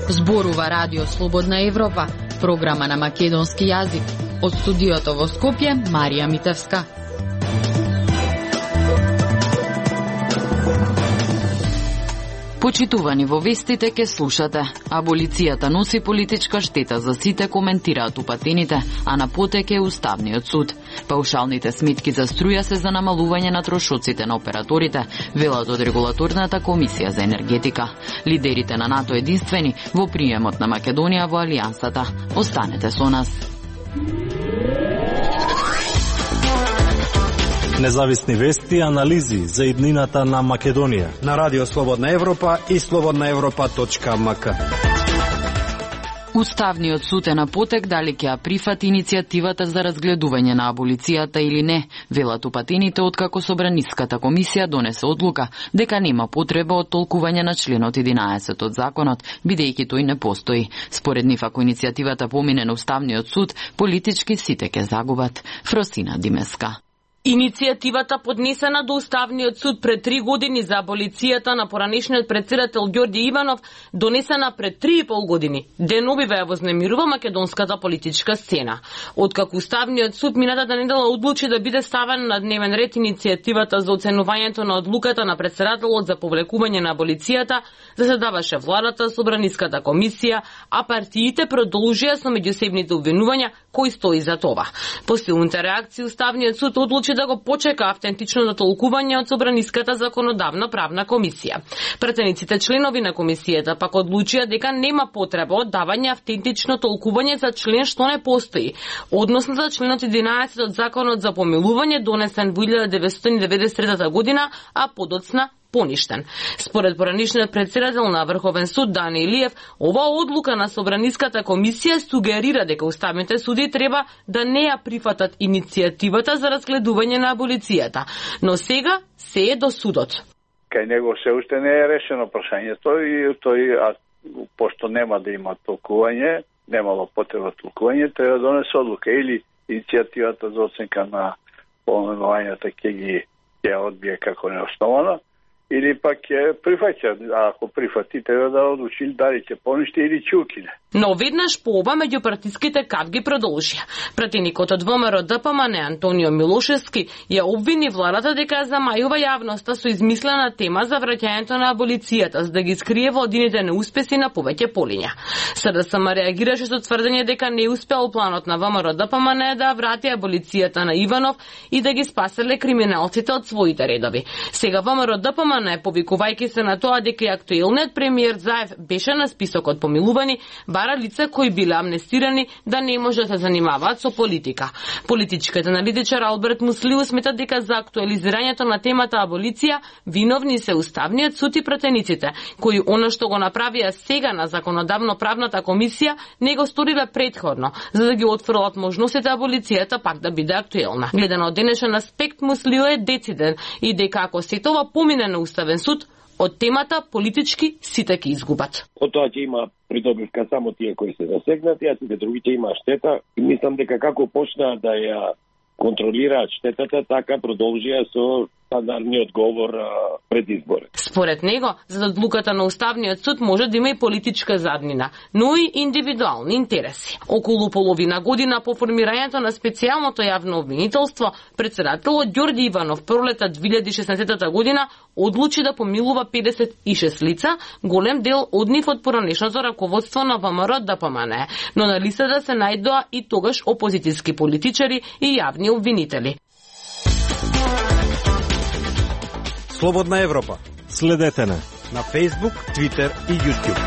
Зборува Радио Слободна Европа, програма на македонски јазик. Од студиото во Скопје, Марија Митевска. Почитувани, во вестите ке слушате. Аболицијата носи политичка штета за сите, коментираат упатените, а на потек е Уставниот суд. Паушалните сметки за струја се за намалување на трошоците на операторите, велат од Регулаторната комисија за енергетика. Лидерите на НАТО единствени во приемот на Македонија во Алијансата. Останете со нас. Независни вести и анализи за иднината на Македонија на Радио Слободна Европа и slobodnaevropa.mk. Уставниот суд е на потек дали ќе ја прифати иницијативата за разгледување на аболицијата или не, велат упатените откако Собраниската комисија донесе одлука дека нема потреба од толкување на членот 11 од законот, бидејќи тој не постои. Според нив, ако иницијативата помине на Уставниот суд, политички сите ќе загубат. Фросина Димеска. Иницијативата поднесена до Уставниот суд пред 3 години за аболицијата на поранешниот претседател Ѓорѓе Иванов, донесена пред 3,5 години, деновиве ја вознемирува македонската политичка сцена. Откако Уставниот суд минатата недела одлучи да биде ставена на дневен ред иницијативата за оценувањето на одлуката на претседателот за повлекување на аболицијата, заседаваше владата, Собраниската комисија, а партиите продолжија со меѓусебните обвинувања кој стои за това. По силните реакции Уставниот суд одлучи да го почека автентичното толкување од Собраниската законодавна правна комисија. Пратениците членови на комисијата пак одлучија дека нема потреба од давање автентично толкување за член што не постои, односно за членот 11 од Законот за помилување донесен во 1993 година, а подоцна поништен. Според поранишниот претседател на Врховен суд Дани Илиев, оваа одлука на Собраниската комисија сугерира дека уставните суди треба да не ја прифатат иницијативата за разгледување на аболицијата, но сега се е до судот. Кај него се уште не е решено прашањето и тој, пошто нема да има толкување, немало потреба толкување, треба да донесе одлука или иницијативата за оценка на поменувањата ќе ја одбие како неоснована, или пак ќе прифаќа, а ако прифати, треба да одлучи дали ќе поништи или ќе укине. Но веднаш по оба меѓупартиските кавги продолжија. Пратеникот од ВМРО ДПМН Антонио Милошевски ја обвини владата дека замајува јавноста со измислена тема за враќањето на аболицијата, за да ги скрие владините неуспеси на повеќе полиња. СДСМ реагираше со тврдење дека не успеал планот на ВМРО ДПМН да врати аболицијата на Иванов и да ги спаселе криминалците од своите редови. Сега ВМРО ДПМН, повикувајќи се на тоа дека и актуелниот премиер Заев беше на списокот помилувани, бара лица кои биле амнестирани да не може да се занимаваат со политика. Политичкиот аналитичар Алберт Муслиу смета дека за актуализирањето на темата аболиција виновни се Уставниот суд и пратениците, кои она што го направија сега на законодавно-правната комисија не го сториле претходно, за да ги отфрлат можностите аболицијата пак да биде актуелна. Гледано од денешен аспект, Муслиу е дециден и дека ако се тоа помине на Уставен суд, од темата политички сите ќе изгубат. Од тоа ќе има придобивка само тие кои се засегнати, а сите другите има штета. И мислам дека како почнаа да ја контролираат штетата, така продолжија со стандардниот говор пред избори. Според него, за одлуката на Уставниот суд може да има и политичка заднина, но и индивидуални интереси. Околу половина година по формирањето на специјалното јавно обвинителство, претседателот Ѓорѓе Иванов пролета 2016 година одлучи да помилува 56 лица, голем дел од нив од поранешното раководство на ВМРО ДПМН, но на листата се најдоа и тогаш опозицијски политичари и јавни обвинители. Слободна Европа. Следете на Facebook, Twitter и YouTube.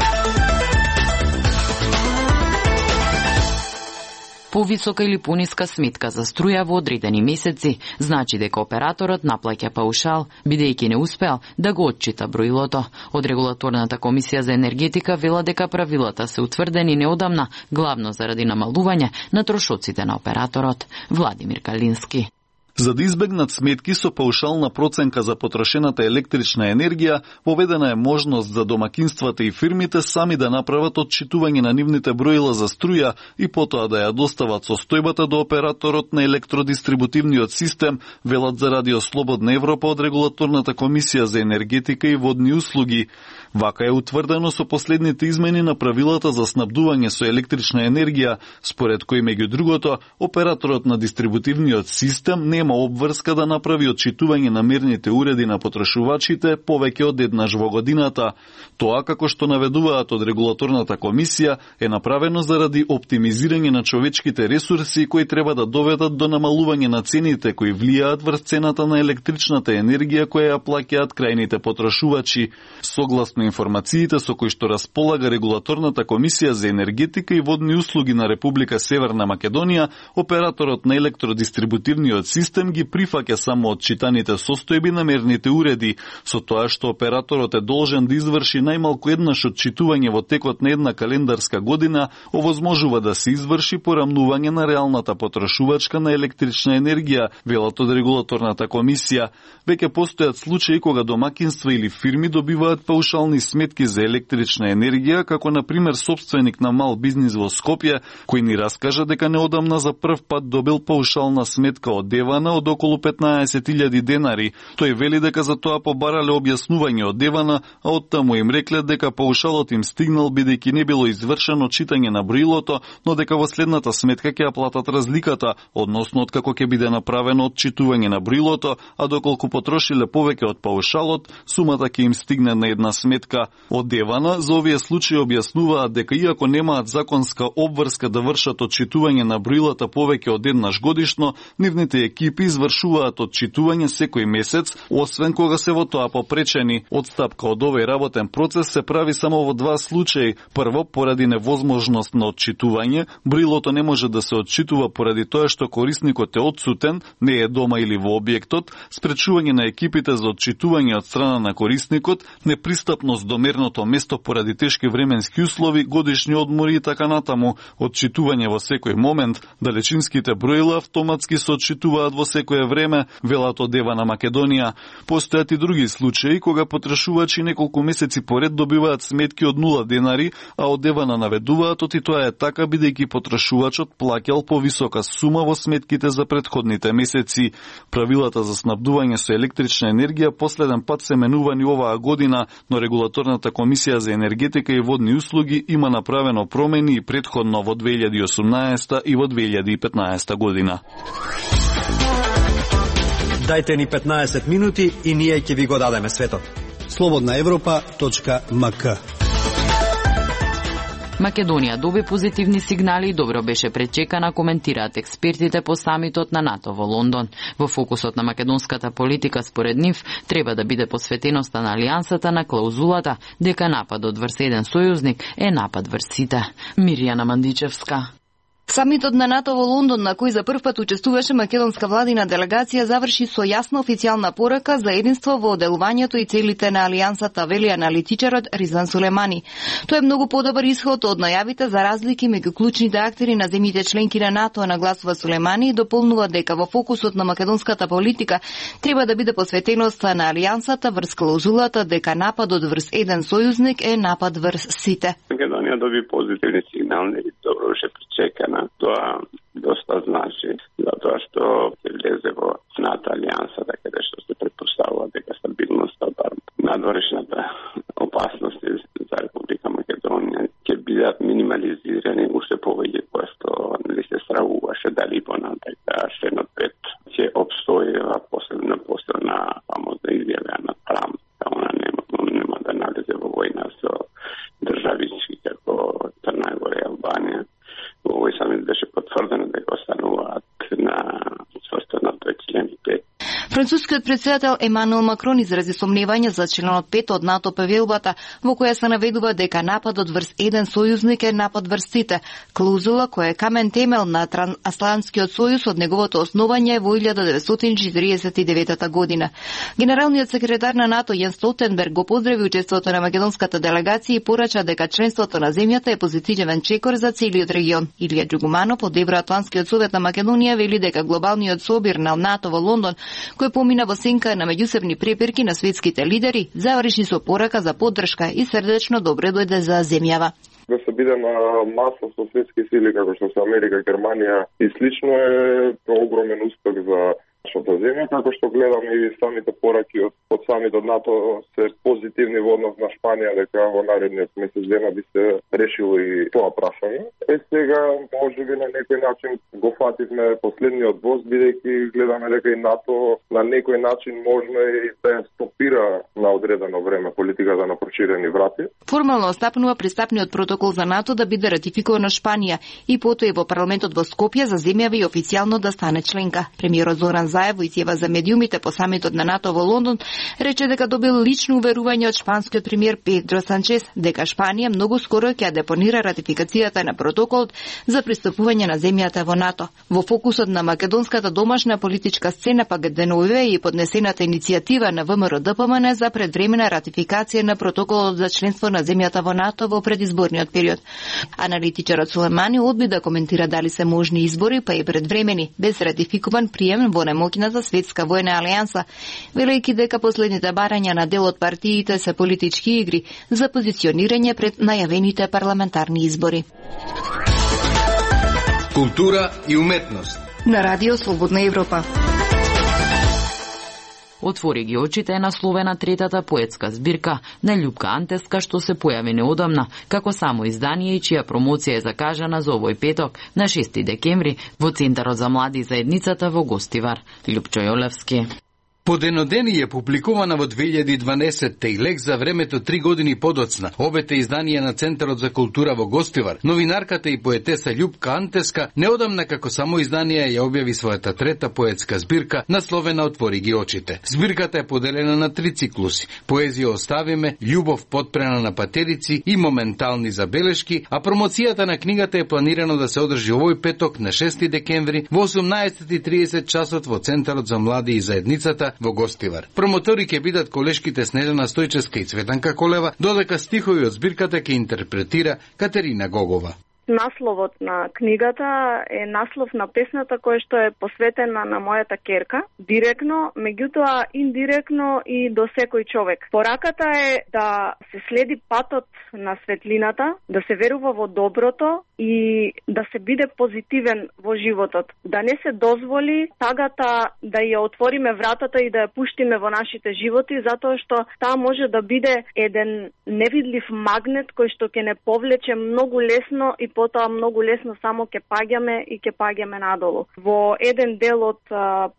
Повисока или пониска сметка за струја во одредени месеци значи дека операторот наплаќа паушал, бидејќи не успеал да го отчита броилото. Од Регулаторната комисија за енергетика вела дека правилата се утврдени неодамна, главно заради намалување на трошоците на операторот. Владимир Калински. За да избегнат сметки со паушална проценка за потрошената електрична енергија, поведена е можност за домакинствата и фирмите сами да направат отчитување на нивните броила за струја и потоа да ја достават состојбата до операторот на електродистрибутивниот систем, велат за Радио Слободна Европа од Регулаторната комисија за енергетика и водни услуги. Вака е утврдено со последните измени на правилата за снабдување со електрична енергија, според кои меѓу другото, операторот на дистрибутивниот систем нема обврска да направи отчитување на мерните уреди на потрошувачите повеќе од еднаш во годината. Тоа, како што наведуваат од регулаторната комисија, е направено заради оптимизирање на човечките ресурси кои треба да доведат до намалување на цените кои влијаат врз цената на електричната енергија која ја плаќаат крајните потрошувачи. Согласно информациите со кои што располага регулаторната комисија за енергетика и водни услуги на Република Северна Македонија, операторот на електродистрибутивниот систем ги прифаќа само отчитаните состојби на мерните уреди, со тоа што операторот е должен да изврши најмалку еднаш отчитување во текот на една календарска година, овозможува да се изврши порамнување на реалната потрошувачка на електрична енергија, велат од регулаторната комисија. Веќе постојат случаи кога домакинства или фирми добиваат паушални сметки за електрична енергија, како на пример собственик на мал бизнис во Скопје, кој ни раскажа дека неодамна за прв пат добил паушална сметка од Девана од околу 15.000 денари. Тој вели дека за тоа побарале објаснување од Девана, а оттаму им рекле дека паушалот им стигнал бидејќи не било извршено читање на броилото, но дека во следната сметка ќе ја платат разликата, односно откако ќе биде направено отчитување на броилото, а доколку потрошиле повеќе од паушалот, сумата ќе им стигне на една сметка. Од Девана за овие случаи објаснуваат дека иако немаат законска обврска да вршат отчитување на броилата повеќе од еднаш годишно, нивните екипи извршуваат отчитување секој месец, освен кога се во тоа попречени. Одстапка од овој работен процес се прави само во два случаи. Прво, поради невозможност на отчитување, броилото не може да се отчитува поради тоа што корисникот е отсутен, не е дома или во објектот, спречување на екипите за отчитување од страна на корисникот, непристапност до мерното место поради тешки временски услови, годишни одмори и така натаму, отчитување во секој момент, далечинските броила автоматски се отчитуваат во секое време, велат од Девана Македонија. Постојат и други случаи кога потрошувачи неколку месеци поред добиваат сметки од 0 денари, а од Девана наведуваат оти тоа е така бидејќи потрошувачот плаќал повисока сума во сметките за претходните месеци. Правилата за снабдување со електрична енергија последен пат се менувани оваа година, но регулаторната комисија за енергетика и водни услуги има направено промени и претходно во 2018 и во 2015 година. Дајте ни 15 минути и ние ќе ви го дадеме светот. slobodnaevropa.mk. Македонија доби позитивни сигнали и добро беше пречекана, коментираат експертите по самитот на НАТО во Лондон. Во фокусот на македонската политика според нив треба да биде посветеноста на алијансата на клаузулата дека нападот врз еден сојузник е напад врз сите. Мирјана Мандичевска. Самитот на НАТО во Лондон, на кој за прв пат учествуваше македонска владина делегација, заврши со јасна официјална порака за единство во делувањето и целите на алијансата, вели аналитичарот Ризан Сулемани. Тоа е многу подобар исход од најавите за разлики меѓу клучните актери на земјите членки на НАТО, нагласува Сулемани и дополнува дека во фокусот на македонската политика треба да биде посветеноста на алијансата врз клаузулата дека нападот врз еден сојузник е напад врз сите. Македонија доби позитивни сигнали и добро беше пречекана. Тоа доста значи, затоа што се влезе во НАТО алијансата, каде што се претпоставува дека стабилноста, бар надворешната опасности за Република Македонија ќе бидат минимализирани уште повеќе кој што нели се стравуваше дали понатака шенот 5 ќе обстојува посебно после на фамозна изјава на Трамп, она нема да налезе во војна со државички како Црна Гора и Албанија. Во овој самит беше потврдено дека остануваат на состаното член 5. Францускиот претседател Емануел Макрон изрази сомневање за членот 5 од НАТО павелбата, во која се наведува дека нападот врз еден сојузник е напад врз сите, клаузула која е камен темел на Трансатлантскиот сојуз од неговото основање во 1949 година. Генералниот секретар на НАТО Јенс Столтенберг го поздрави учеството на македонската делегација и порача дека членството на земјата е позитивен чекор за целиот регион. Илија Џугуманов од Евроатлантскиот совет на Македонија вели дека глобалниот собир на НАТО во Лондон, кој помина во сенка на меѓусебни препирки на светските лидери, заврши со порака за поддршка и срдечно добре дојде за земјава. Да се биде на маса со светски сили како што се Америка, Германија и слично е огромен успех за нашата земја, како што гледам и самите пораки од самитот НАТО се позитивни во однос на Шпанија, дека во наредниот месец дена би се решило и тоа прашање. Сега можеби на некој начин го фативме последниот воз, бидејќи гледаме дека и НАТО на некој начин можно и да ја стопира на одредено време политиката на проширени врати. Формално остапнува пристапниот протокол за НАТО да биде ратификуван од Шпанија и потоа и во парламентот во Скопје заземјава и официјално да стане членка. Премиерот Зоран Заев во изјава за медиумите по самитот на НАТО во Лондон рече дека добил лично уверување од шпанскиот премиер Педро Санчес дека Шпанија многу скоро ќе депонира ратификацијата на протоколот за пристапување на земјата во НАТО. Во фокусот на македонската домашна политичка сцена пак деновиве и поднесената иницијатива на ВМРО-ДПМН за предвремена ратификација на протоколот за членство на земјата во НАТО во предизборниот период. Аналитичарот Сулемани одби да коментира дали се можни избори, па и предвремени, без ратификуван прием во немоќната светска војна алијанса, велејќи дека последните барања на дел од партиите се политички игри за позиционирање пред најавените парламентарни избори. Култура и уметност на Радио Слободна Европа. Отвори ги очите е насловена третата поетска збирка на Љупка Антеска, што се појави неодамна како само издание и чија промоција е закажана за овој петок на 6 декември во Центарот за млади заедницата во Гостивар. Љупчо Јолевски. Поденодени е публикувана во 2012 и лек за времето 3 години подоцна. Обете изданија на Центарот за култура во Гостивар, новинарката и поетеса Љупка Антеска неодамна како само изданија ја објави својата трета поетска збирка насловена Отвори ги очите. Збирката е поделена на 3 циклуси: Поезија оставиме, Љубов подпрена на патерици и Моментални забелешки, а промоцијата на книгата е планирано да се одржи овој петок на 6 декември во 18:30 часот во Центарот за млади и заедницата во Гостивар. Промотори ќе бидат колешките Снежана Стојчевска и Цветанка Колева, додека стихови од збирката ќе интерпретира Катерина Гогова. Насловот на книгата е наслов на песната која што е посветена на мојата керка, директно, меѓутоа индиректно и до секој човек. Пораката е да се следи патот на светлината, да се верува во доброто и да се биде позитивен во животот. Да не се дозволи тагата да ја отвориме вратата и да ја пуштиме во нашите животи, затоа што таа може да биде еден невидлив магнет кој што ќе не повлече многу лесно и потоа многу лесно само ќе паѓаме надолу. Во еден дел од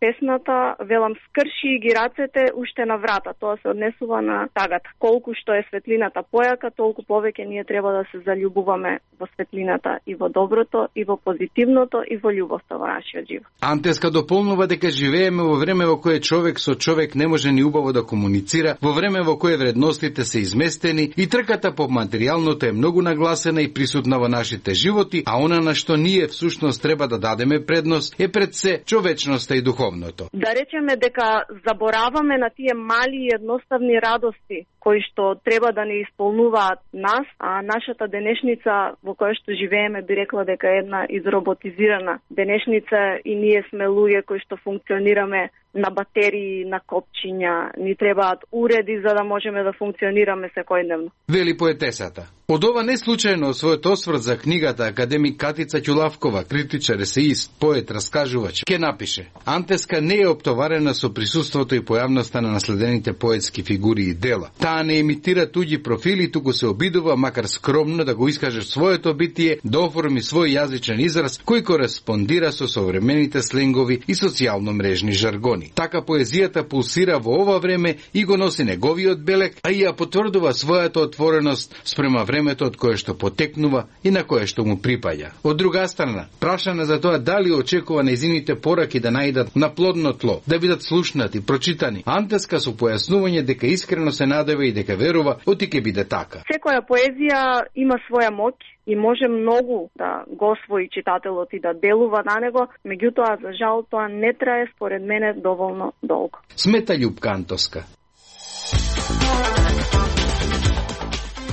песната велам скрши ги рацете уште на врата. Тоа се однесува на тагата. Колку што е светлината појака, толку повеќе ние треба да се заљубуваме во светлината и во доброто, и во позитивното, и во љубовта во нашиот живот. Антеска дополнува дека живееме во време во кое човек со човек не може ни убаво да комуницира, во време во кое вредностите се изместени и трката по материјалното е многу нагласена и присутна во нашите животи, а она на што ние всушност треба да дадеме предност е пред се човечноста и духовното. Да речеме дека забораваме на тие мали и едноставни радости кои што треба да не исполнуваат нас, а нашата денешница во која што живееме би рекла дека е една изроботизирана денешница и ние сме луѓе кои што функционираме на батерии, на копчиња, ни требаат уреди за да можеме да функционираме секојдневно. Вели поетесата. Од ова не случајно својот осврт за книгата академик Катица Ќулавкова, критичар, есеист, поет, раскажувач, ке напише: Антеска не е оптоварена со присуството и појавноста на наследените поетски фигури и дела. Таа не имитира туѓи профили, туку се обидува, макар скромно, да го искаже своето битие, да оформи свој јазичен израз кој кореспондира со современите сленгови и социјално мрежни жаргони. Така поезијата пулсира во ова време и го носи неговиот белек, а и ја потврдува својата отвореност спрема времето од кое што потекнува и на кое што му припаѓа. Од друга страна, прашана за тоа дали очекува нејзините пораки да најдат на плодно тло, да бидат слушнати, прочитани, Антеска со појаснување дека искрено се надева и дека верува оти ќе биде така. Секоја поезија има своја моќ и може многу да го освои читателот и да делува на него, меѓутоа за жал тоа не трае според мене доволно долго. Смета Љупка Антоска.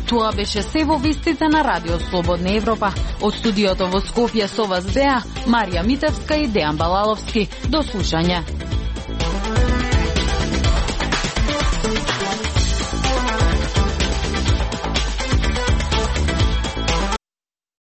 Тоа беше се во вестите на Радио Слободна Европа. Од студиото во Скопје со вас беа Марија Митевска и Дејан Балаловски. До слушање.